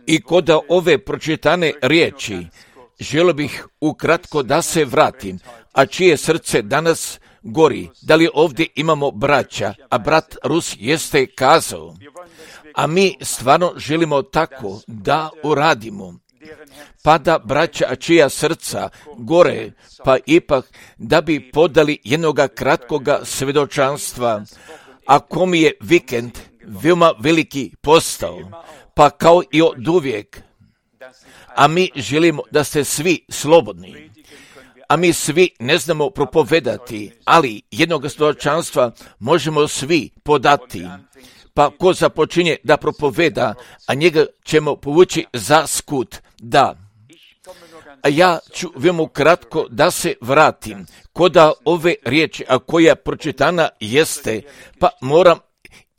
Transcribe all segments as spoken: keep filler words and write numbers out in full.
I kod ove pročitane riječi želio bih ukratko da se vratim, a čije srce danas gori. Da li ovdje imamo braća, a brat Rus jeste kazao, a mi stvarno želimo tako da uradimo. Pa da braća, a čija srca gore, pa ipak da bi podali jednoga kratkoga svjedočanstva, a kom je vikend veoma veliki postao, pa kao i od uvijek. A mi želimo da ste svi slobodni. A mi svi ne znamo propovedati, ali jednog svjedočanstva možemo svi podati. Pa ko započinje da propoveda, a njega ćemo povući za skut, da. A ja ću veoma kratko da se vratim, koda ove riječi, a koja pročitana jeste, pa moram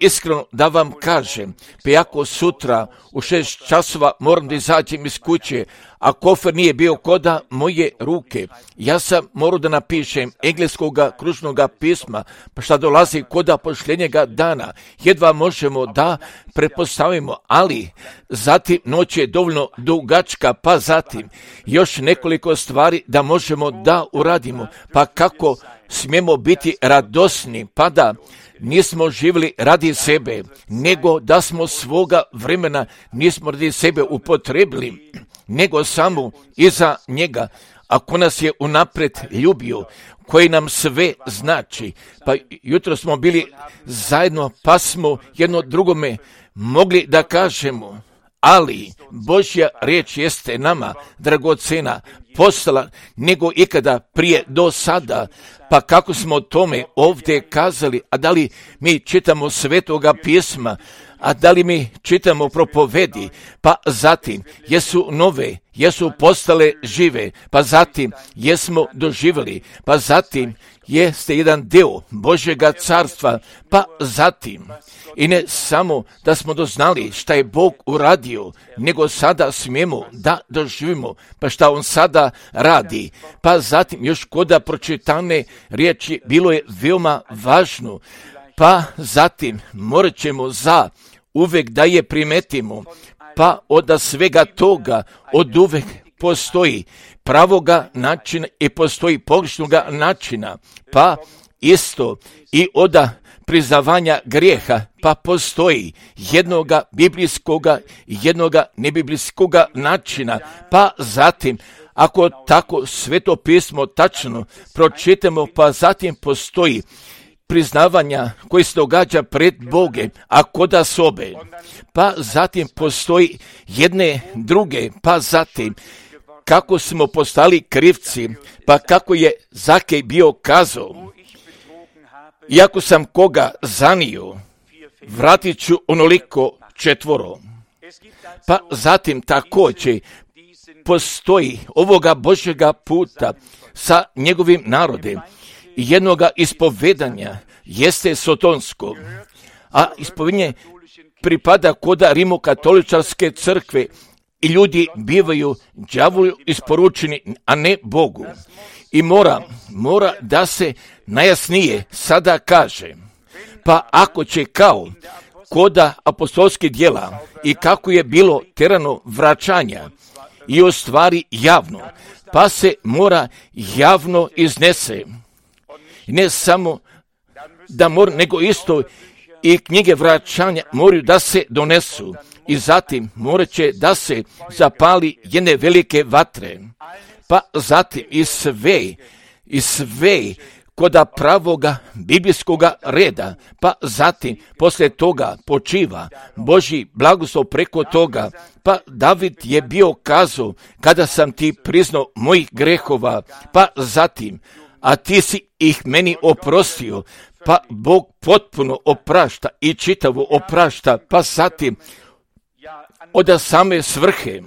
iskreno da vam kažem, pa jako sutra u šest časova moram da izađem iz kuće, a kofer nije bio koda moje ruke. Ja sam morao da napišem engleskoga kružnoga pisma, pa šta dolazi koda posljednjega dana. Jedva možemo da pretpostavimo, ali zatim noć je dovoljno dugačka, pa zatim još nekoliko stvari da možemo da uradimo. Pa kako smijemo biti radosni, pa da nismo živjeli radi sebe, nego da smo svoga vremena nismo radi sebe upotrebili, nego samo iza njega, ako nas je unaprijed ljubio, koji nam sve znači. Pa jutro smo bili zajedno, pa smo jedno drugome mogli da kažemo, ali Božja riječ jeste nama dragocena, postala nego ikada prije do sada. Pa kako smo o tome ovdje kazali, a da li mi čitamo Svetoga pisma, a da li mi čitamo propovedi, pa zatim jesu nove, jesu postale žive, pa zatim jesmo doživjeli, pa zatim jeste jedan deo Božjega carstva, pa zatim i ne samo da smo doznali šta je Bog uradio, nego sada smijemo da doživimo, pa šta On sada radi. Pa zatim još koda pročitane riječi bilo je veoma važno, pa zatim morat ćemo za uvek da je primetimo, pa od svega toga od uvek postoji pravoga načina i postoji pogrešnoga načina, pa isto i od priznavanja grijeha, pa postoji jednoga biblijskoga i jednoga nebiblijskoga načina, pa zatim ako tako Sveto pismo tačno pročitamo, pa zatim postoji priznavanja koji se događa pred Boge, a kod sobe, pa zatim postoji jedne druge, pa zatim kako smo postali krivci, pa kako je Zakej bio kazao, iako sam koga zanio, vratit ću onoliko četvoro. Pa zatim također postoji ovoga Božjega puta sa njegovim narodem, jednoga ispovedanja jeste sotonsko, a ispovedanje pripada koda rimokatoličarske crkve i ljudi bivaju đavolu isporučeni, a ne Bogu. I mora, mora da se najjasnije sada kaže, pa ako će kao koda apostolskih djela i kako je bilo terano vraćanja i u stvari javno, pa se mora javno iznese. Ne samo da mora, nego isto i knjige vraćanja moraju da se donesu i zatim morat će da se zapali jedne velike vatre, pa zatim i sve, i sve koda pravoga biblijskoga reda, pa zatim poslije toga počiva Božji blagoslov preko toga, pa David je bio kazao, kada sam ti priznao mojih grehova, pa zatim, a ti si ih meni oprostio, pa Bog potpuno oprašta i čitavo oprašta, pa zatim od same svrhe.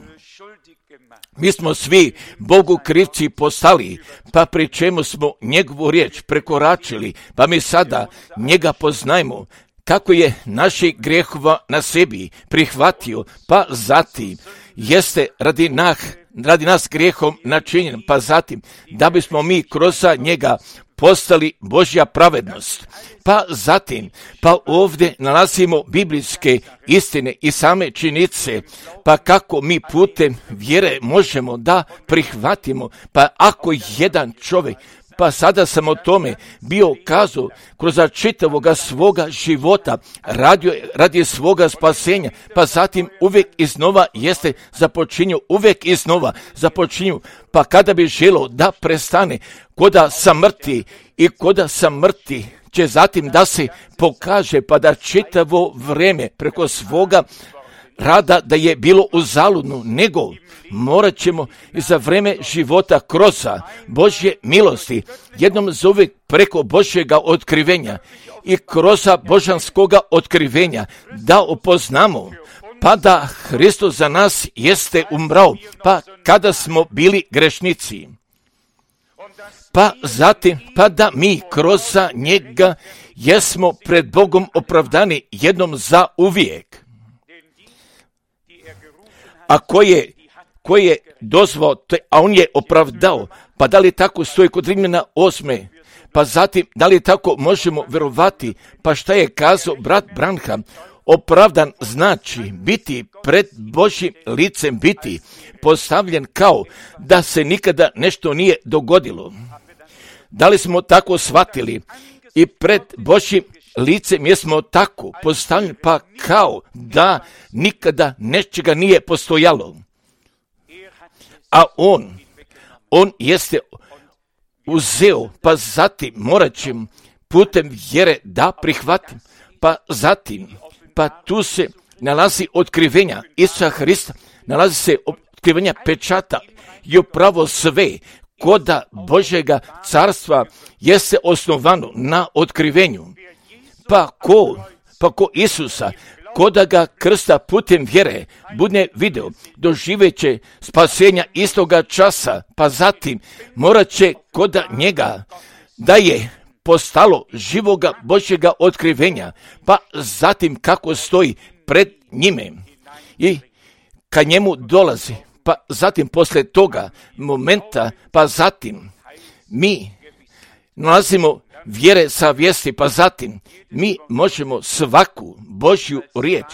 Mi smo svi Bogu krivci postali, pa pri čemu smo njegovu riječ prekoračili, pa mi sada njega poznajemo, kako je naših grehova na sebi prihvatio, pa zatim jeste radi, nah, radi nas grijehom načinjen, pa zatim da bismo mi kroz njega postali Božja pravednost. Pa zatim, pa ovdje nalazimo biblijske istine i same činjenice, pa kako mi putem vjere možemo da prihvatimo, pa ako jedan čovjek, pa sada sam o tome bio kazao kroz čitavoga svoga života, radio, radi svoga spasenja, pa zatim uvijek iznova jeste započinju, uvijek iznova započinju, pa kada bi želo da prestane, koda samrti i koda samrti će zatim da se pokaže, pa da čitavo vrijeme preko svoga rada da je bilo uzaludno, nego morat ćemo i za vrijeme života kroz Božje milosti, jednom za uvijek preko Božjega otkrivenja i kroz božanskoga otkrivenja da upoznamo, pa da Hristos za nas jeste umrao, pa kada smo bili grešnici, pa zatim, pa da mi kroz njega jesmo pred Bogom opravdani jednom za uvijek. A ko je, ko je dozvao, a on je opravdao, pa da li tako stoji kod Rimljana osme, pa zatim da li tako možemo vjerovati, pa šta je kazao brat Branham, opravdan znači biti pred Božjim licem, biti postavljen kao da se nikada nešto nije dogodilo. Da li smo tako shvatili i pred Božjim licem jesmo tako postavljeni, pa kao da nikada nečega nije postojalo. A on, on jeste uzeo, pa zatim morat ćemo putem vjere da prihvatim, pa zatim, pa tu se nalazi otkrivenja Isusa Hrista, nalazi se otkrivenja pečata i upravo sve koda Božjega carstva jeste osnovano na otkrivenju. Pa ko, pa ko Isusa, koda ga krsta putem vjere bude video, doživeće spasenja istoga časa, pa zatim morat će koda njega da je postalo živoga Božjega otkrivenja, pa zatim kako stoji pred njime i kad njemu dolazi, pa zatim posle toga momenta, pa zatim mi nalazimo vjere sa vijesti, pa zatim mi možemo svaku Božju riječ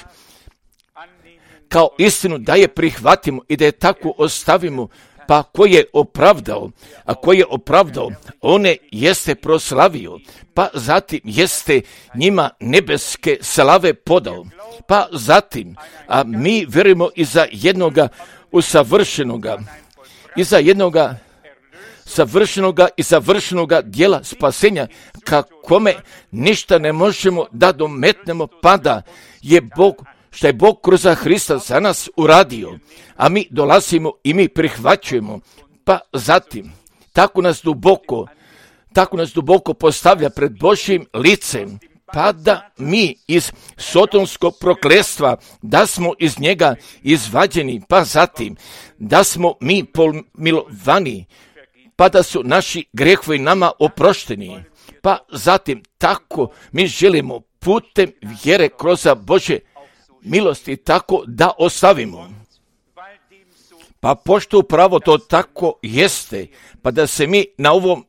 kao istinu da je prihvatimo i da je tako ostavimo, pa ko je opravdao, a ko je opravdao, one jeste proslavio, pa zatim jeste njima nebeske slave podao, pa zatim, a mi vjerujemo i za jednoga usavršenoga, i za jednoga savršenoga i savršenoga dijela spasenja, kakome ništa ne možemo da dometnemo, pa da je Bog, što je Bog kroz Hrista za nas uradio, a mi dolazimo i mi prihvaćujemo, pa zatim tako nas duboko, tako nas duboko postavlja pred Božjim licem, pa da mi iz sotonskog prokletstva, da smo iz njega izvađeni, pa zatim da smo mi pomilovani, pa da su naši grijehovi nama oprošteni, pa zatim tako mi želimo putem vjere kroz Božje milosti tako da ostavimo. Pa pošto upravo to tako jeste, pa da se mi na ovom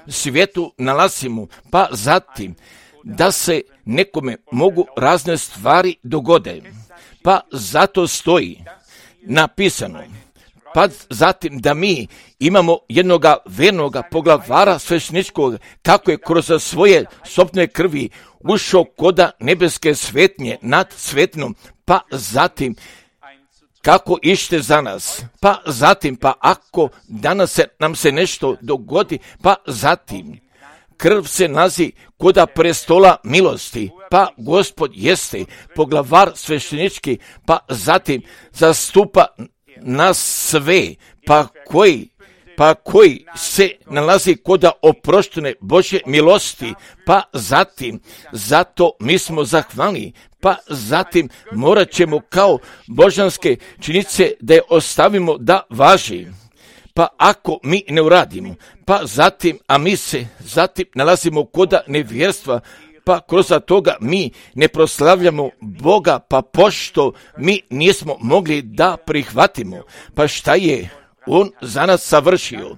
svijetu nalazimo, pa zatim da se nekome mogu razne stvari dogode, pa zato stoji napisano, pa zatim da mi imamo jednoga vernoga poglavara svešteničkog, kako je kroz svoje sopne krvi ušao koda nebeske svetnje nad svetnom, pa zatim kako ište za nas, pa zatim, pa ako danas se, nam se nešto dogodi, pa zatim krv se nalazi koda prestola milosti, pa Gospod jeste poglavar sveštenički, pa zatim zastupa nas sve, pa koji, pa koji se nalazi koda oproštene Božje milosti, pa zatim, zato mi smo zahvalni, pa zatim morat ćemo kao božanske činjenice da je ostavimo da važi. Pa ako mi ne uradimo, pa zatim, a mi se zatim nalazimo koda nevjerstva, pa kroz toga mi ne proslavljamo Boga, pa pošto mi nismo mogli da prihvatimo, pa šta je On za nas savršio,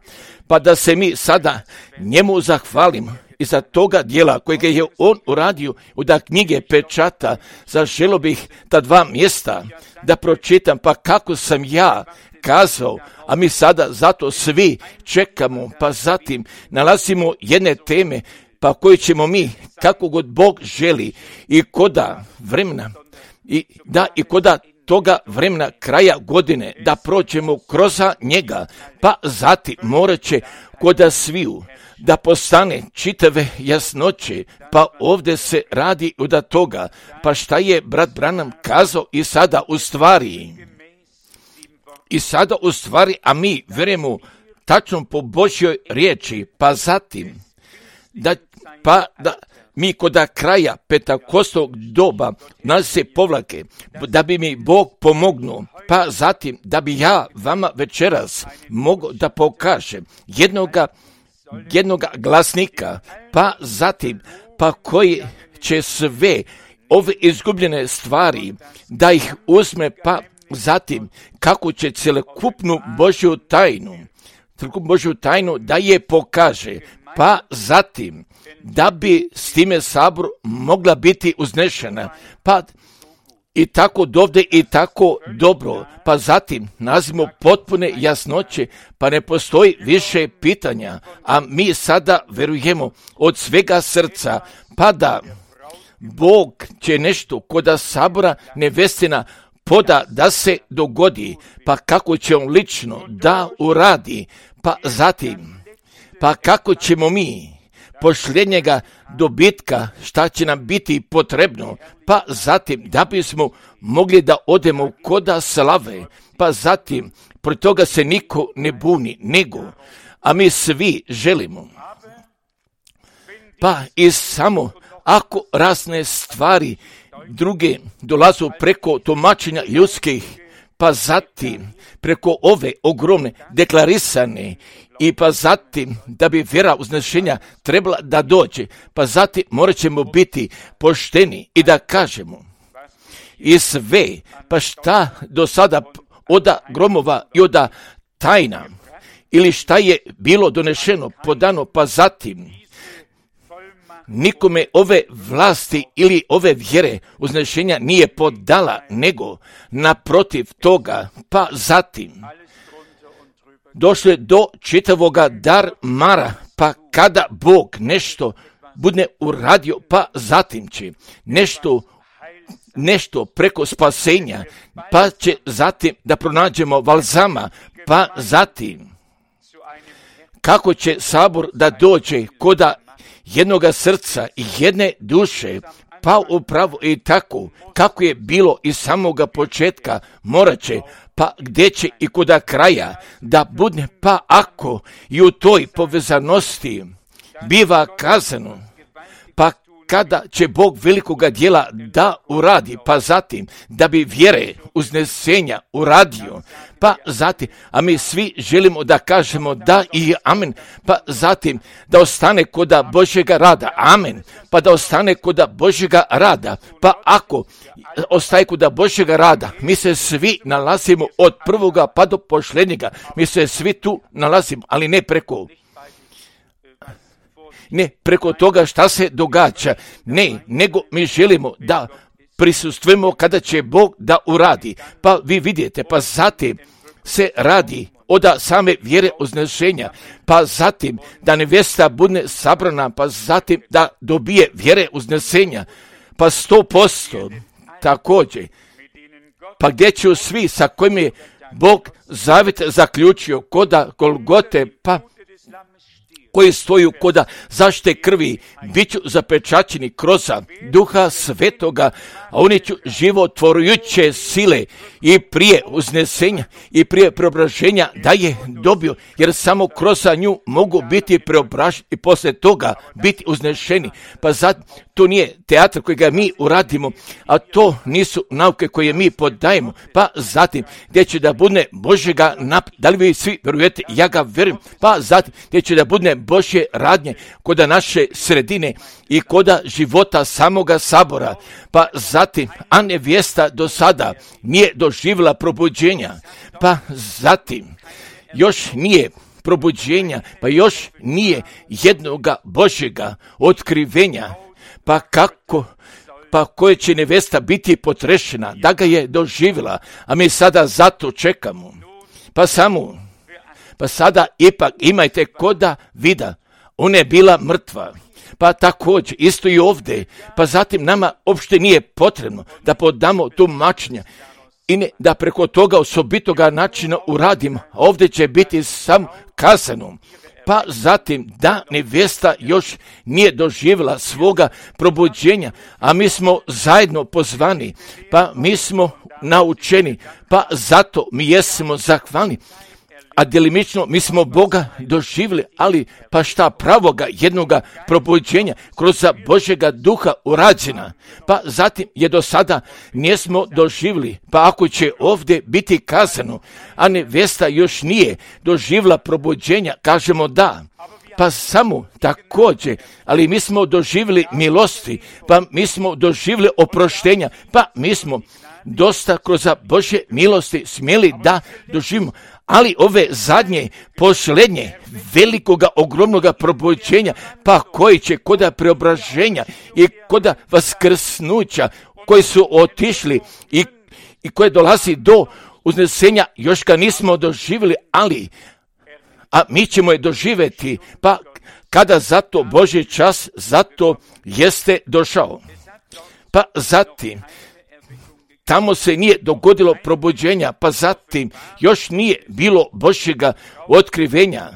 pa da se mi sada njemu zahvalimo i za toga dijela kojega je on uradio u da knjige pečata. Zaželio bih ta dva mjesta da pročitam, pa kako sam ja kazao, a mi sada zato svi čekamo, pa zatim nalazimo jedne teme, pa koje ćemo mi, kako god Bog želi, i koda vremena, i da i koda toga vremena kraja godine, da prođemo kroz njega, pa zatim morat će koda sviju da postane čitave jasnoće, pa ovdje se radi od toga, pa šta je brat Branham kazao i sada u stvari, i sada u stvari, a mi vjerujemo tačno po Božjoj riječi, pa zatim, da, pa da mi koda kraja Pentakostovog doba nas se povlake, da bi mi Bog pomognuo, pa zatim da bi ja vama večeras mogao da pokažem jednoga, jednoga glasnika, pa zatim, pa koji će sve ove izgubljene stvari da ih uzme, pa zatim kako će cjelokupnu Božju tajnu, cjelokupnu Božju tajnu da je pokaže, pa zatim da bi s time sabor mogla biti uznešena, pa i tako dovde i tako dobro, pa zatim nazimo potpune jasnoće, pa ne postoji više pitanja, a mi sada verujemo od svega srca, pa da Bog će nešto koda sabora nevestina poda da se dogodi, pa kako će on lično da uradi, pa zatim, pa kako ćemo mi posljednjega dobitka, šta će nam biti potrebno, pa zatim da bismo mogli da odemo koda slave, pa zatim protiv toga se niko ne buni, nego, a mi svi želimo. Pa i samo ako razne stvari druge dolazu preko tumačenja ljudskih, pa zatim preko ove ogromne deklarisane, i pa zatim da bi vjera uznešenja trebala da dođe, pa zatim morat ćemo biti pošteni i da kažemo i sve, pa šta do sada oda gromova i oda tajna, ili šta je bilo donešeno, podano, pa zatim nikome ove vlasti ili ove vjere uznešenja nije podala, nego naprotiv toga, pa zatim došlo je do čitavoga dar mara, pa kada Bog nešto bude uradio, pa zatim će nešto, nešto preko spasenja, pa će zatim da pronađemo balzama, pa zatim kako će sabor da dođe koda jednoga srca i jedne duše, pa upravo i tako kako je bilo iz samoga početka, morat će, pa gdje će i koda kraja da bude, pa ako i u toj povezanosti biva kazano, pa kada će Bog velikoga djela da uradi, pa zatim da bi vjere uznesenja uradio, pa zatim, a mi svi želimo da kažemo da i amen, pa zatim da ostane koda Božjega rada, amen, pa da ostane koda Božjega rada, pa ako ostaje koda Božjega rada, mi se svi nalazimo od prvoga pa do posljednjega, mi se svi tu nalazimo, ali ne preko ne preko toga šta se događa, ne, nego mi želimo da prisustvujemo kada će Bog da uradi. Pa vi vidite, pa zatim se radi od same vjere uznešenja, pa zatim da nevjesta bude sabrana, pa zatim da dobije vjere uznesenja, pa sto posto također, pa gdje će svi sa kojim je Bog zavjet zaključio koda Golgote, pa koji stoju koda zaštite krvi, bit ću zapečaćeni kroz Duha Svetoga, a oni ću životvorujuće sile i prije uznesenja i prije preobraženja da je dobio, jer samo kroz nju mogu biti preobraženi i poslije toga biti uznešeni. Pa zato to nije teatr kojega mi uradimo, a to nisu nauke koje mi podajemo, pa zatim gdje će da bude Božjega nap, da li vi svi vjerujete, ja ga vjerujem, pa zatim gdje će da bude Božje radnje koda naše sredine i koda života samoga sabora, pa zatim, a nevjesta do sada nije doživjela probuđenja, pa zatim još nije probuđenja, pa još nije jednoga Božjega otkrivenja, pa kako, pa koje će nevesta biti potrešena, da ga je doživjela, a mi sada zato čekamo. Pa samo, pa sada ipak imajte koda vida, ona je bila mrtva. Pa također, isto i ovdje, pa zatim nama uopšte nije potrebno da podamo tumačenja i ne, da preko toga osobitoga načina uradimo, a ovdje će biti sam kazano. Pa zatim da nevesta još nije doživjela svoga probuđenja, a mi smo zajedno pozvani, pa mi smo naučeni, pa zato mi jesmo zahvalni. A djelimično mi smo Boga doživjeli, ali pa šta pravoga jednoga probuđenja kroz Božjega duha urađena. Pa zatim je do sada nismo doživjeli, pa ako će ovdje biti kazano, a nevesta još nije doživjela probuđenja, kažemo da. Pa samo također, ali mi smo doživjeli milosti, pa mi smo doživjeli oproštenja, pa mi smo dosta kroz Božje milosti smjeli da doživimo. Ali ove zadnje, posljednje, velikoga, ogromnoga probuđenja, pa koji će koda preobraženja i koda vaskrsnuća, koji su otišli i, i koje dolazi do uznesenja, još ga nismo doživjeli, ali, a mi ćemo je doživjeti, pa kada zato Božji čas, zato jeste došao. Pa zatim, tamo se nije dogodilo probuđenja, pa zatim još nije bilo Božjega otkrivenja,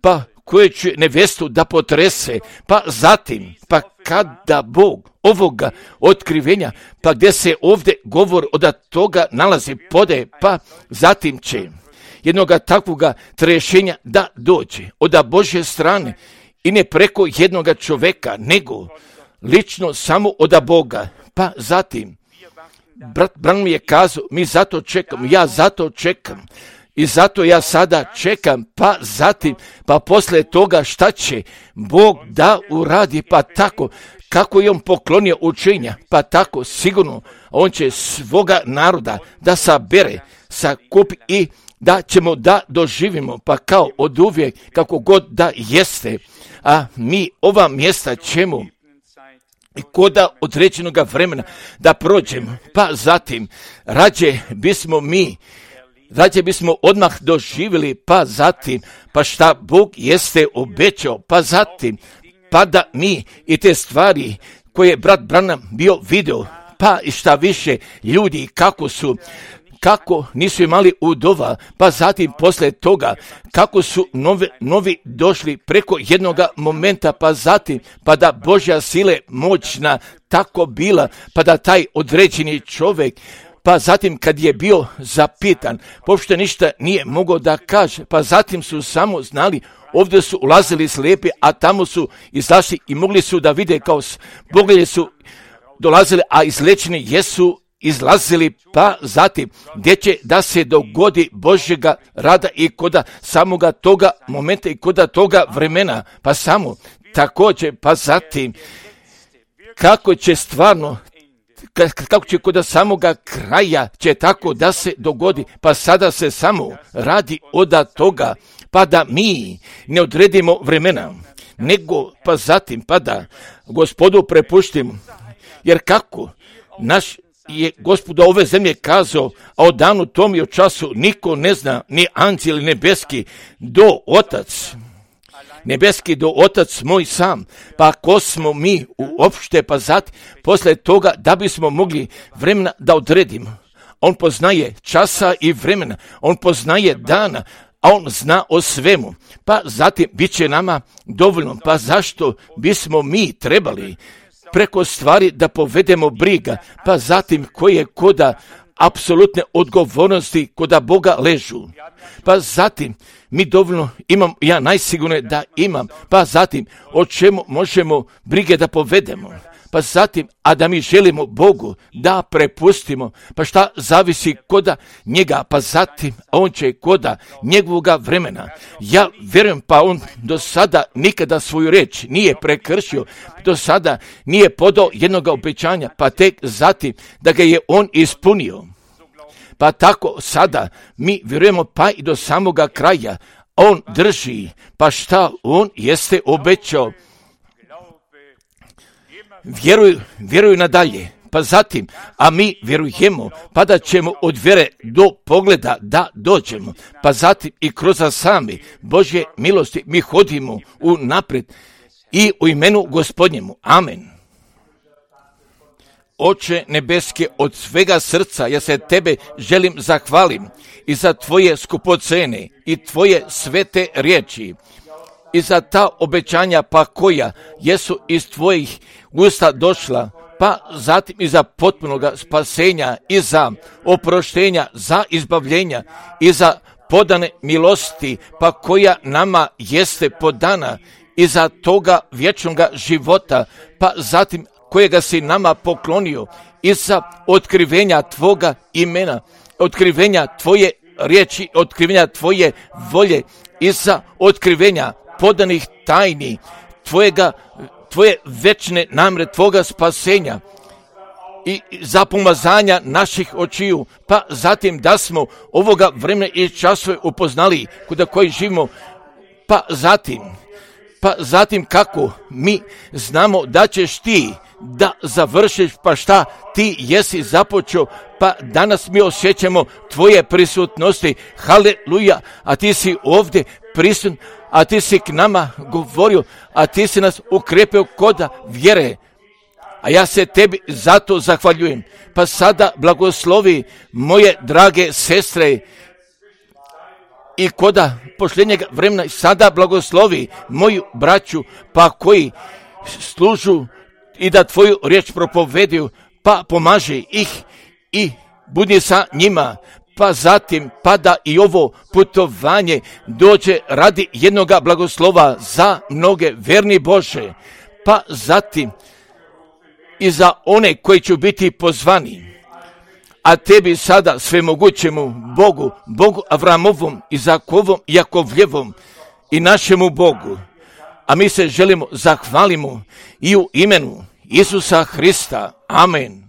pa koje će nevestu da potrese, pa zatim, pa kada Bog ovoga otkrivenja, pa gdje se ovdje govor od toga nalazi pode, pa zatim će jednoga takvoga trešenja da dođe od Božje strane i ne preko jednoga čoveka, nego lično samo od Boga, pa zatim Brat Branham mi je kazao, mi zato čekam, ja zato čekam i zato ja sada čekam, pa zatim, pa poslije toga šta će Bog da uradi, pa tako, kako je on poklonio učenja, pa tako sigurno on će svoga naroda da sabere, sakupi i da ćemo da doživimo, pa kao od uvijek, kako god da jeste, a mi ova mjesta ćemo i koda određenog vremena da prođemo, pa zatim rađe bismo mi, rađe bismo odmah doživjeli, pa zatim, pa šta Bog jeste obećao, pa zatim, pa da mi i te stvari koje je brat Branham bio video, pa i šta više ljudi kako su, kako nisu imali udova, pa zatim poslije toga, kako su novi, novi došli preko jednoga momenta, pa zatim, pa da Božja sile moćna tako bila, pa da taj određeni čovjek, pa zatim kad je bio zapitan, pošto ništa nije mogao da kaže, pa zatim su samo znali, ovdje su ulazili slijepi, a tamo su izašli i mogli su da vide kao poglede su dolazili, a izlečeni jesu izlazili, pa zatim gdje će da se dogodi Božjega rada i koda samoga toga momenta i koda toga vremena, pa samo također, pa zatim kako će stvarno, kako će koda samoga kraja će tako da se dogodi, pa sada se samo radi od toga, pa da mi ne odredimo vremena, nego pa zatim pa da Gospodu prepuštimo, jer kako naš je Gospod ove zemlje kazao, a o danu tom i o času niko ne zna, ni anđeli nebeski do Otac, nebeski do Otac moj sam, pa ko smo mi uopšte, pa zatim posle toga da bismo mogli vremena da odredimo. On poznaje časa i vremena, on poznaje dana, a on zna o svemu, pa zatim bit će nama dovoljno, pa zašto bismo mi trebali preko stvari da povedemo briga, pa zatim koje koda apsolutne odgovornosti koda Boga ležu. Pa zatim mi dovoljno imam, ja najsigurnije da imam, pa zatim o čemu možemo brige da povedemo. Pa zatim, a da mi želimo Bogu da prepustimo, pa šta zavisi koda njega, pa zatim on će koda njegovoga vremena. Ja vjerujem, pa on do sada nikada svoju reč nije prekršio, do sada nije podao jednoga obećanja, pa tek zatim da ga je on ispunio. Pa tako sada mi vjerujemo pa i do samoga kraja, on drži, pa šta on jeste obećao. Vjeruj, vjeruj nadalje, pa zatim, a mi vjerujemo, pa da ćemo od vjere do pogleda da dođemo, pa zatim i kroz sami Božje milosti mi hodimo u naprijed i u imenu Gospodnjemu. Amen. Oče nebeske, od svega srca ja se tebe želim zahvalim i za tvoje skupocene i tvoje svete riječi i za ta obećanja pa koja jesu iz tvojih usta došla, pa zatim i za potpunoga spasenja i za oproštenja, za izbavljenja i za podane milosti pa koja nama jeste podana i za toga vječnoga života, pa zatim kojega si nama poklonio i za otkrivenja tvoga imena, otkrivenja tvoje riječi, otkrivenja tvoje volje i za otkrivenja podanih tajni tvojega, tvoje večne namre, tvoga spasenja i za pomazanja naših očiju, pa zatim da smo ovoga vremena i časove upoznali kuda koji živimo, pa zatim, pa zatim kako mi znamo da ćeš ti da završiš, pa šta ti jesi započeo, pa danas mi osjećamo tvoje prisutnosti, haleluja, a ti si ovdje prisutan, a ti si k nama govorio, a ti si nas ukrepio koda vjere, a ja se tebi zato zahvaljujem. Pa sada blagoslovi moje drage sestre i koda posljednjeg vremena sada blagoslovi moju braću, pa koji služu i da tvoju riječ propovediju, pa pomaži ih i budi sa njima, pa zatim pada i ovo putovanje dođe radi jednoga blagoslova za mnoge verni Bože, pa zatim i za one koji će biti pozvani. A tebi sada svemogućemu Bogu, Bogu Avramovom, Izakovom, Jakovljevom i našemu Bogu, a mi se želimo zahvalimo i u imenu Isusa Hrista. Amen.